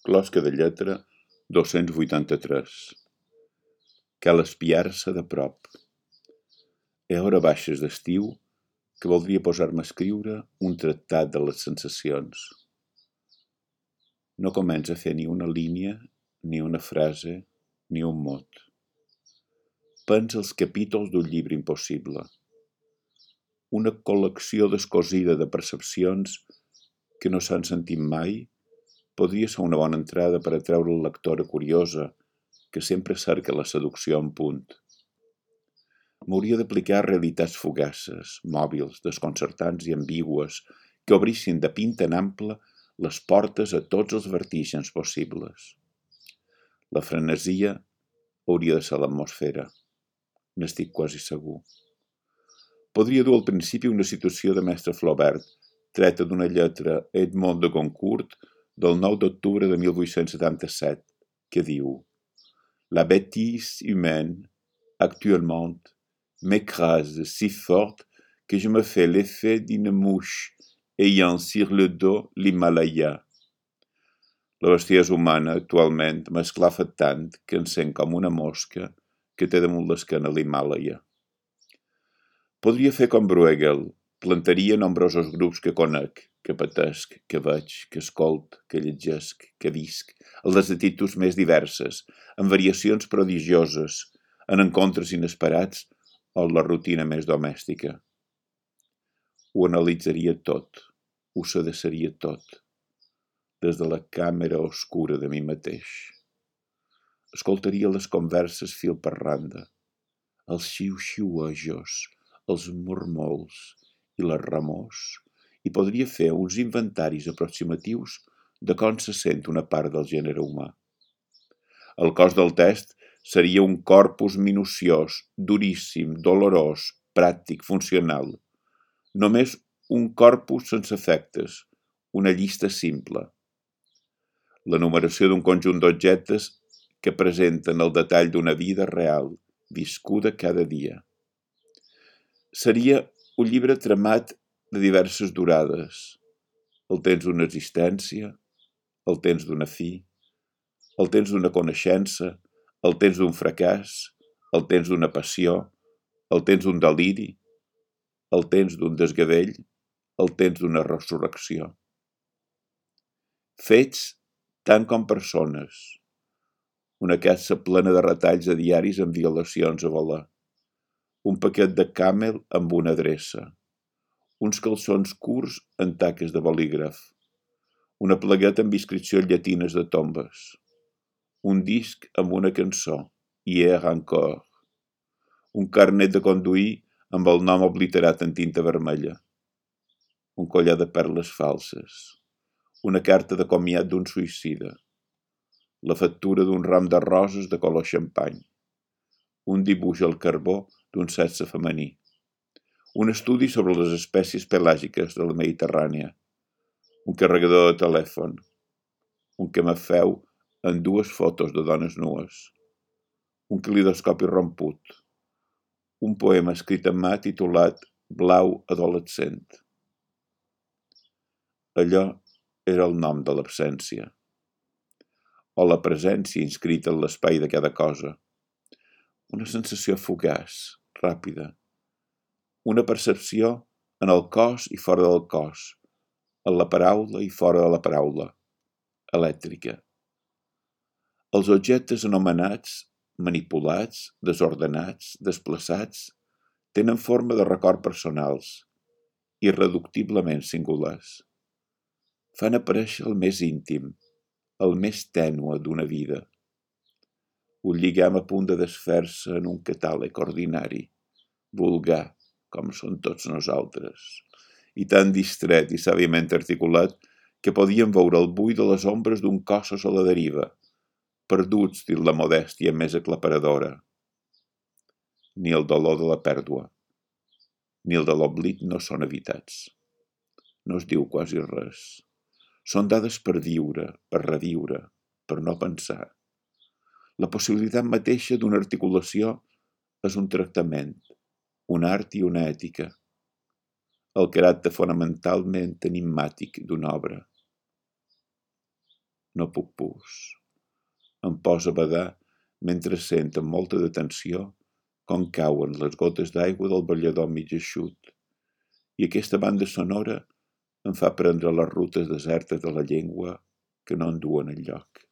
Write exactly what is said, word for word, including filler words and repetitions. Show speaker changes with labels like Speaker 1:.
Speaker 1: Closca de lletra dos-cents vuitanta-tres. Cal espiar-se de prop. He hora baixes d'estiu que voldria posar-me a escriure un tractat de les sensacions. No comença a fer ni una línia, ni una frase, ni un mot. Pensa els capítols d'un llibre impossible. Una col·lecció descosida de percepcions que no s'han sentit mai podria ser una bona entrada per atreure la lectora curiosa que sempre cerca la seducció en punt. M'hauria d'aplicar a realitats fugaces, mòbils, desconcertants i ambigües que obrissin de pinta en ample les portes a tots els vertigens possibles. La frenesia hauria de ser l'atmosfera. N'estic quasi segur. Podria dur al principi una situació de mestre Flaubert, treta d'una lletra Edmond de Goncourt del nou d'octubre de mil vuit-cents setanta-set, que diu: La bêtise humaine, actuellement, m'écrase si fort que je me fais l'effet d'une mouche ayant sur le dos l'Himalaya. La bestiesa humana, actualment, m'esclafa tant que em sent com una mosca que té damunt l'esquena l'Himàlaia. Podria fer com Bruegel, plantaria nombrosos grups que conec, que patesc, que veig, que escolt, que llegesc, que visc, a les actituds més diverses, en variacions prodigioses, en encontres inesperats o en la rutina més domèstica. Ho analitzaria tot, ho sedeceria tot, des de la càmera oscura de mi mateix. Escoltaria les converses fil per randa, els xiu-xiuejos, els murmols i les remors, i podria fer uns inventaris aproximatius de com se sent una part del gènere humà. El cos del test seria un corpus minuciós, duríssim, dolorós, pràctic, funcional. Només un corpus sense efectes, una llista simple. L'enumeració d'un conjunt d'objectes que presenten el detall d'una vida real, viscuda cada dia. Seria un llibre tramat de diverses durades, el temps d'una existència, el temps d'una fi, el temps d'una coneixença, el temps d'un fracàs, el temps d'una passió, el temps d'un deliri, el temps d'un desgavell, el temps d'una resurrecció. Fets tant com persones, una caixa plena de retalls a diaris amb violacions a voler, un paquet de Camel amb una adreça, uns calçons curts en taques de bolígraf, una plagueta amb inscripcions llatines de tombes, un disc amb una cançó, Hier encore, un carnet de conduir amb el nom obliterat en tinta vermella, un collar de perles falses, una carta de comiat d'un suïcida, la factura d'un ram de roses de color xampany, un dibuix al carbó d'un sexe femení, un estudi sobre les espècies pelàgiques de la Mediterrània, un carregador de telèfon, un camafeu en dues fotos de dones nues, un calidoscopi romput, un poema escrit en mà titulat Blau adolescent. Allò era el nom de l'absència, o la presència inscrita en l'espai de cada cosa, una sensació fugaç, ràpida, una percepció en el cos i fora del cos, en la paraula i fora de la paraula, elèctrica. Els objectes anomenats, manipulats, desordenats, desplaçats, tenen forma de record personals, irreductiblement singulars. Fan aparèixer el més íntim, el més tènue d'una vida. Un lligam a punt de desfer-se en un catàleg ordinari, vulgar, com són tots nosaltres, i tan distret i sàviament articulat que podíem veure el buit de les ombres d'un cossos a la deriva, perduts dins la modèstia més aclaparadora. Ni el dolor de la pèrdua, ni el de l'oblit no són evitats. No es diu quasi res. Són dades per viure, per reviure, per no pensar. La possibilitat mateixa d'una articulació és un tractament, un art i una ètica, el caràcter fonamentalment enigmàtic d'una obra. No puc pus. Em posa a badar mentre sent amb molta detenció com cauen les gotes d'aigua del ballador mig eixut. I aquesta banda sonora em fa prendre les rutes desertes de la llengua que no en duen enlloc.